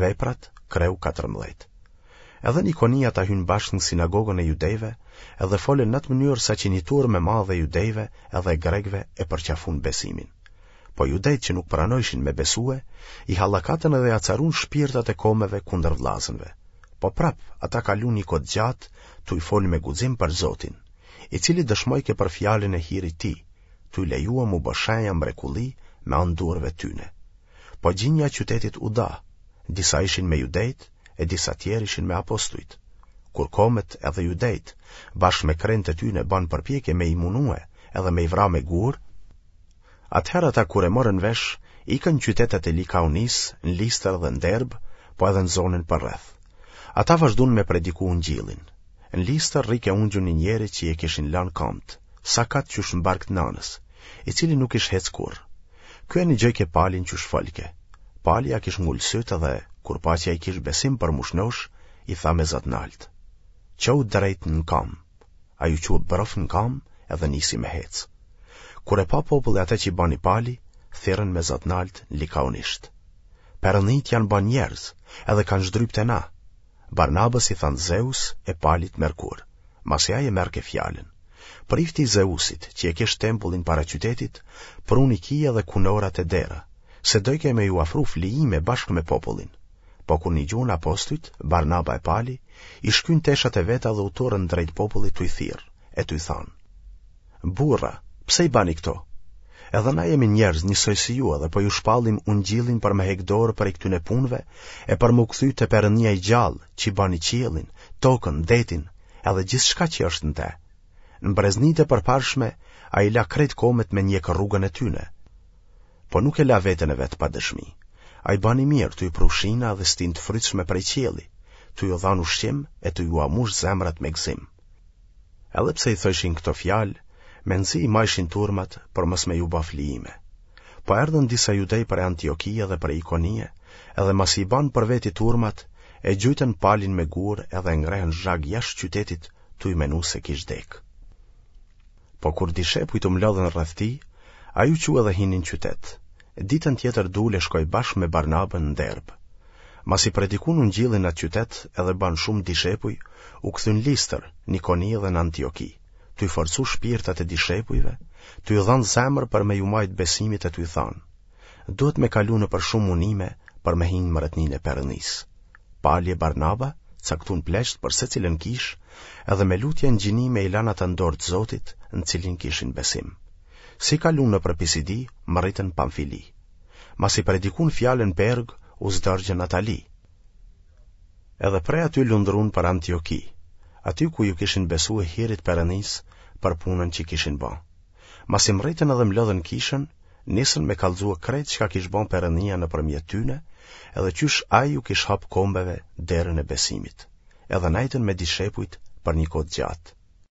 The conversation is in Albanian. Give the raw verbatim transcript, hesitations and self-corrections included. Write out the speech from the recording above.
Veprat, kreu katërmbëdhjetë. Edhe në Ikoni ata hynë bashkë në sinagogën e judejve, edhe folën në atë mënyrë saqë një turmë e madhe e judejve edhe e grekëve e përqafun besimin. Po judejtë që nuk pranojshin me besue, i hallakatën edhe i acarun shpirtat e komeve kundër vllazënve. Po prap, ata kalun një kohë të gjatë tuj folë me guxim për Zotin, i cili dëshmojke për fjalën e hirit tij, tuj lejue m'u bë shenja mrekulli me anë duarve tyne. Po gjinja e qytetit u da, disa ishin me judejtë e disa tjerë ishin me apostujt. Kur komet edhe judejtë, bashkë me krentë e tyne banë përpjekje me i munue edhe me i vra me gurë, atëherë ata kur e morën vesh, ikën në qytetet e Likaonisë, në Listër dhe në Derbë, po edhe në zonën përreth. Ata vazhdun me prediku ungjillin. Në Listër rrike ungjun një njeri që e kishin lanë kamtë, sakat qysh në bark të nanës, i cili nuk ish hec kurrë. Ky e nigjojke Palin qysh folke. Pali ia kish ngulë sytë dhe, kur pa që ai kish besim për m'u shnosh, i tha me za t'naltë, Çohu drejt në kamë. Ai u çua brof në kamë edhe nisi me hecë. Kur e pa populli atë që bani Pali, thirrën me za t'naltë në likaonisht. Perënditë janë ba njerëz, edhe kanë zhdryp te na. Barnabës i thanë Zeus e Palit Merkur, masi ai e merrke fjalën. Prifti i Zeusit, që e kish tempullin para qytetit, pruni kije dhe kunora te dera, se dojke me ju afru flijime bashkë me popullin. Po kur nigjun apostujt, Barnaba e Pali, i shkyn teshat e veta dhe u turrën drejt popullit tuj thirrë, e tuj thanë, Burra, pse i bani këto? Edhe na jemi njerëz njësoj si ju edhe po ju shpallim ungjillin për me hek dorë prej këtyne punëve e për m'u kthy te Perëndia i gjallë, që bani qiellin, tokën, detin, edhe gjithçka që është në te. Në breznitë e përparshme ai la krejt komet me njek rrugën e tyne. Po nuk e la veten e vet pa dëshmi. Ai bani mirë tuj pru shina dhe stinë të frytshme prej qielli, tuj ju dhanë ushqim e tuj jua mush zemrat me gëzim. Edhe pse i thojshin këto fjalë, mezi i majshin turmat për mos me ju ba flijime. Po erdhën disa judej prej Antiokie dhe prej Ikonie, edhe masi i banë për veti turmat, e gjujtën Palin me gurë edhe e ngrehën zhag jashtë qytetit tuj menu se kish dekë. Po kur dishepujt u mlodhën rreth tij, ai u çu edhe hini në qytet. Ditën tjetër dul e shkoi bashkë me Barnabën në Derbë. Masi predikun ungjillin në atë qytet edhe banë shumë dishepuj, u kthyn Listër, në Ikoni dhe në Antioki, tuj forcu shpirtat e dishepujve, tuj u dhanë zemër për me ju majtë besimit e tuj thanë, duhet me kalu nëpër shumë munime për me hi në mretninë e Perëndisë. Pali e Barnaba caktun pleqtë për secilën kishë, edhe me lutje e ngjinime i lanë ata në dorë të Zotit, në cilin kishin besim. Si kalun nëpër Pisidi, mërritën Pamfili. Masi predikun fjalën Pergë, u zdërgjën Atali. Edhe prej aty lundrun për Antioki, aty ku ju kishin besue hirit Perëndisë për punën që kishin ba. Masi mrritën edhe mlodhën kishën, nisën me kallzue krejt çka kish ba Perëndia nëpërmjet tyne, edhe qysh ai ju kish hap kombeve derën e besimit. Edhe nejtën me dishepujt për një kohë të gjatë.